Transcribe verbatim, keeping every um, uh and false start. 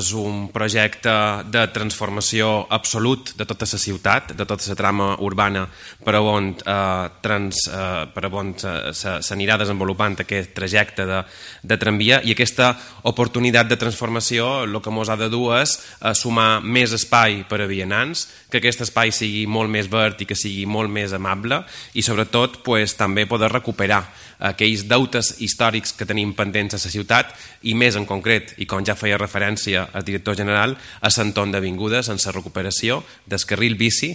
És un projecte de transformació absolut de tota la ciutat, de tota la trama urbana per a on eh, trans, eh, per a on s'anirà desenvolupant aquest trajecte de, de tramvia, i aquesta oportunitat de transformació el que ens ha de dur és eh, sumar més espai per a vianants, que aquest espai sigui molt més verd i que sigui molt més amable, i sobretot pues, també poder recuperar aquells deutes històrics que tenim pendents a la ciutat, i més en concret, i com ja feia referència el director general, a l'entorn d'avingudes en la recuperació del carril bici